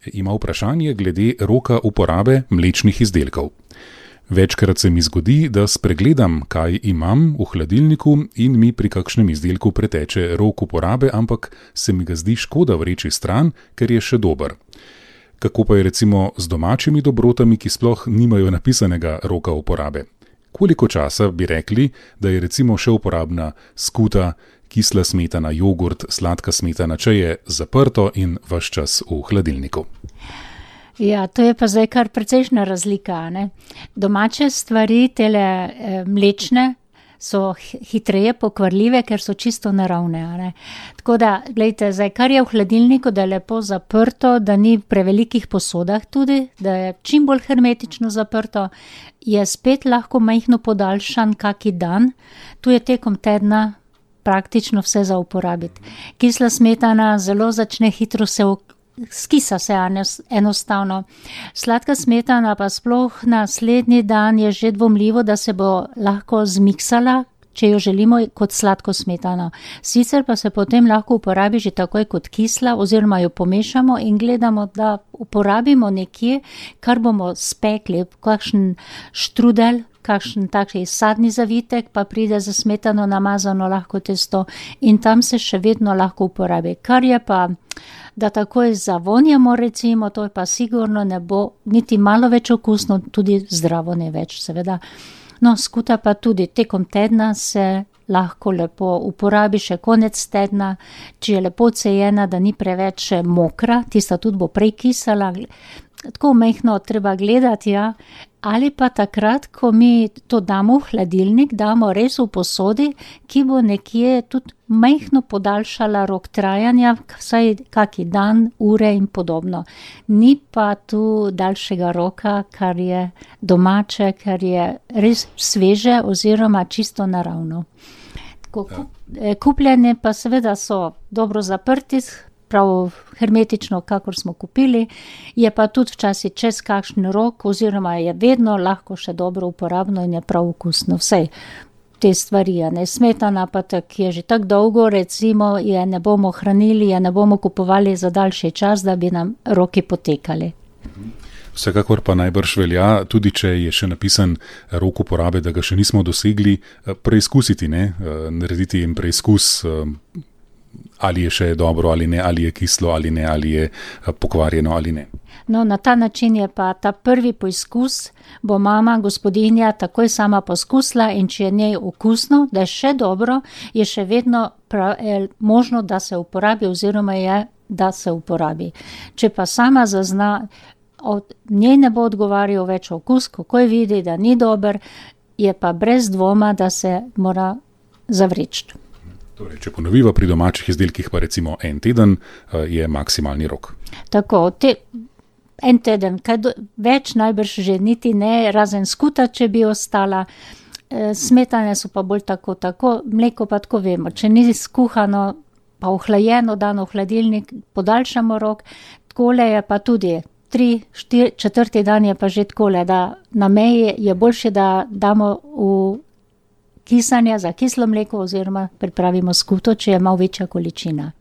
Ima vprašanje glede roka uporabe mlečnih izdelkov. Večkrat se mi zgodi, da spregledam, kaj imam v hladilniku in mi pri kakšnem izdelku preteče rok uporabe, ampak se mi ga zdi škoda vreči stran, ker je še dober. Kako pa je recimo z domačimi dobrotami, ki sploh nimajo napisanega roka uporabe? Koliko časa bi rekli, da je recimo še uporabna skuta, kisla smetana, jogurt, sladka smetana, če je zaprto in ves čas v hladilniku? Ja, to je pa zdaj kar precejšnja razlika, ne? Domače stvari, tele mlečne, so hitreje pokvarljive, ker so čisto naravne, ne? Tako da, glejte, zdaj, kar je v hladilniku, da je lepo zaprto, da ni v prevelikih posodah tudi, da je čim bolj hermetično zaprto, je spet lahko majhno podaljšan kaki dan, tu je tekom tedna praktično vse za uporabiti. Kisla smetana zelo začne hitro skisa se enostavno. Sladka smetana pa sploh naslednji dan je že dvomljivo, da se bo lahko zmiksala, če jo želimo kot sladko smetano. Sicer pa se potem lahko uporabi že takoj kot kisla oziroma jo pomešamo in gledamo, da uporabimo nekje, kar bomo spekli, kakšen štrudel, kakšen takšen sadni zavitek, pa pride za smetano namazano lahko testo in tam se še vedno lahko uporabi. Kar je pa, da takoj zavonjamo recimo, to pa sigurno ne bo niti malo več okusno, tudi zdravo ne več seveda. No, skuta pa tudi tekom tedna se lahko lepo uporabi še konec tedna, če je lepo cejena, da ni preveč mokra, tista tudi bo prej kisala, tako majhno treba gledati, ja. Ali pa takrat, ko mi to damo v hladilnik, damo res v posodi, ki bo nekje tudi majhno podaljšala rok trajanja, vsaj kaki dan, ure in podobno. Ni pa tu daljšega roka, kar je domače, kar je res sveže oziroma čisto naravno. Kupljene pa seveda so dobro zaprti, prav hermetično, kakor smo kupili, je pa tudi včasih čez kakšen rok oziroma je vedno lahko še dobro uporabno in je prav okusno. Vsej te stvari, ne, smetana pa tak je že tako dolgo, recimo, je ne bomo hranili, je ne bomo kupovali za daljši čas, da bi nam roki potekali. Vsekakor pa najbrž velja, tudi če je še napisan rok uporabe, da ga še nismo dosegli, preizkusiti, ne, narediti jim preizkus, ali je še dobro ali ne, ali je kislo ali ne, ali je pokvarjeno ali ne. No, na ta način je pa ta prvi poizkus, bo mama, gospodinja, takoj sama poskusila in če je njej okusno, da je še dobro, je še vedno možno, da se uporabi oziroma je, da se uporabi. Če pa sama zazna, od njej ne bo odgovarjal več okus, kako je vidi, da ni dober, je pa brez dvoma, da se mora zavreči. Torej, če ponoviva pri domačih izdelkih, pa recimo en teden je maksimalni rok. Tako, en teden, več najbrž že niti ne, razen skuta, če bi ostala. Smetane so pa bolj tako, mleko pa tako vemo. Če ni skuhano, pa ohlajeno, dano v hladilnik, podaljšamo rok, takole je pa tudi 3-4 dan je pa že takole, da na meji je boljše, da damo v kisanja za kislo mleko oziroma pripravimo skuto, če je malo večja količina.